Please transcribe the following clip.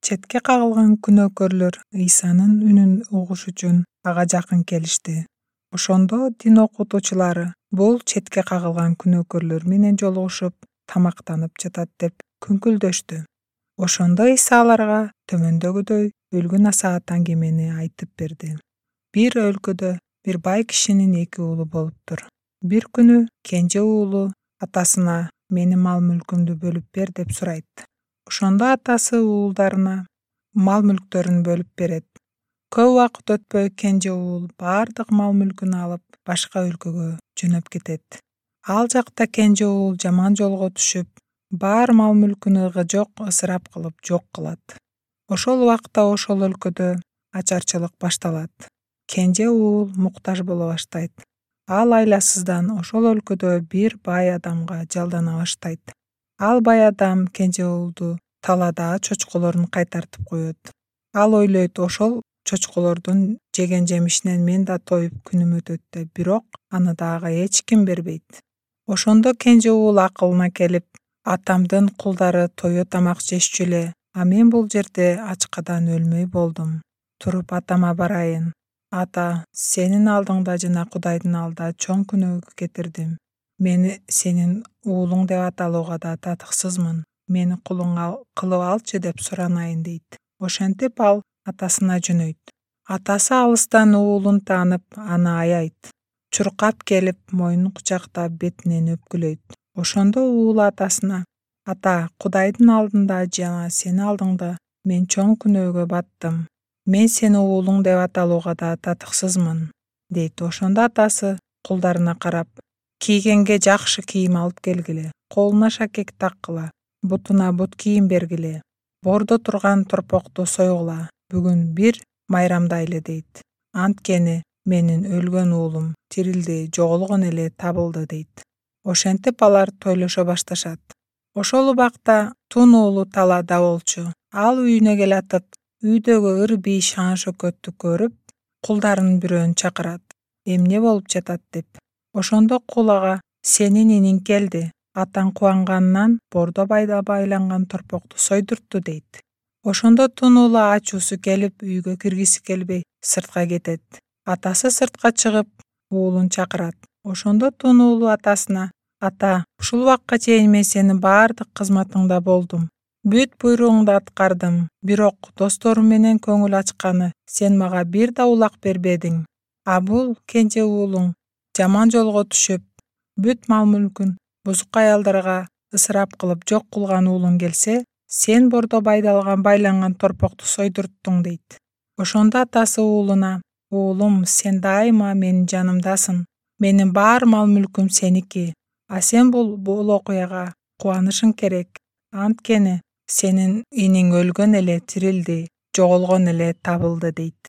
Четке кагылган күнөөкөрлөр Ыйсанын үнүн угуш үчүн ага жакын келишти. Ошондо дин окутуучулары бул четке кагылган күнөөкөрлөр менен жолугушуп, тамактанып жатат деп күңкүлдөштү. Ошондо Ыйса аларга төмөндөгүдөй өлгүн насаат аңгемени айтып берди. Бир өлкөдө бир бай кишинин 2 уулу болуптур. Бир күнү кенже уулу атасына менин мал-мүлкүмдү бөлүп бер деп сурайт. Ошондо атасы уулдарына мал-мүлктөрүн бөлүп берет. Көп убакыт өтпөй кенже уул бардык мал-мүлкүн алып башка өлкөгө жөнөп кетет. Ал жакта кенже уул жаман жолго түшүп, бар мал-мүлкүн ыгы-жок ысырап кылып жок кылат. Ошол убакта ошол өлкөдө ачарчылык башталат. Кенже уул муктаж боло баштайт. Ал айласыздан ошол өлкөдө бир бай адамга жалдана баштайт. Ал бай адам кенже уулду талаада чочколорун кайтартып коет. Ал ойлойт, ошол чочколордун жеген жемишинен мен да тоюп күнүм өтөт деп, бирок аны дагы эч ким бербейт. Ошондо кенже уул акылына келип, атамдын кулдары тое тамак жешчү эле, а мен бул жерде ачкадан өлмөй болдум. Туруп атама барайын. Ата, сенин алдыңда жана Кудайдын алдында чоң күнөөгө кетирдим. Мени сенин уулуң деп аталууга да татыксызмын. Мени кулуң кылып алчы деп суранайын дейт. Ошентип ал атасына жөнөйт. Атасы алыстан уулун таанып, аны аябайт. Чуркап келип, мойнун кучактап, бетинен өпкүлөйт. Ошондо уул атасына: "Ата, Кудайдын алдында жана сенин алдыңда мен чоң күнөөгө баттым. Мен сени уулуң деп аталууга да татыксызмын" дейт. Ошондо атасы кулдарына карап: "Кийгенге жакшы кийим алып келгиле, колуна шакек таккыла, бутуна бут кийим бергиле, бордо турган торпокту сойгула, бүгүн бир майрамдайлы" дейт. "Анткени менин өлгөн уулум тирилди, жоголгон эле табылды" дейт. Ошентип алар тойлошо башташат. Ошол убакта тун уулу талаада болчу. Ал үйүнө келатып, үйдөгү ыр-бий шаң-шөкөттү көрүп, кулдарынын бирөөнү чакырат, эмне болуп жатат деп. Ошондо кул ага: "Сенин иниң келди. Атаң кубанганынан бордо байланган торпокту сойдуртту" дейт. Ошондо тун уулу ачуусу келип, үйгө киргиси келбей, сыртка кетет. Атасы сыртка чыгып, уулун чакырат. Ошондо тун уулу атасына: "Ата, ушул убакка чейин мен сенин бардык кызматыңда болдум. Бүт буйругуңду аткардым. Бирок досторум менен көңүл ачканы сен мага бир да улак бербедиң. А бул кенже уулуң жаман жолго түшүп, бүт мал-мүлкүн бузук аялдарга ысырап кылып жок кылган уулуң келсе, сен бордо байланган торпокту сойдурттуң" дейт. Ошондо атасы уулуна: "Уулум, сен дайыма менин жанымдасың. Менин бар мал-мүлкүм сеники. А сен бул окуяга кубанышың керек. Анткени сенин иниң өлгөн эле тирилди, жоголгон эле табылды" дейт.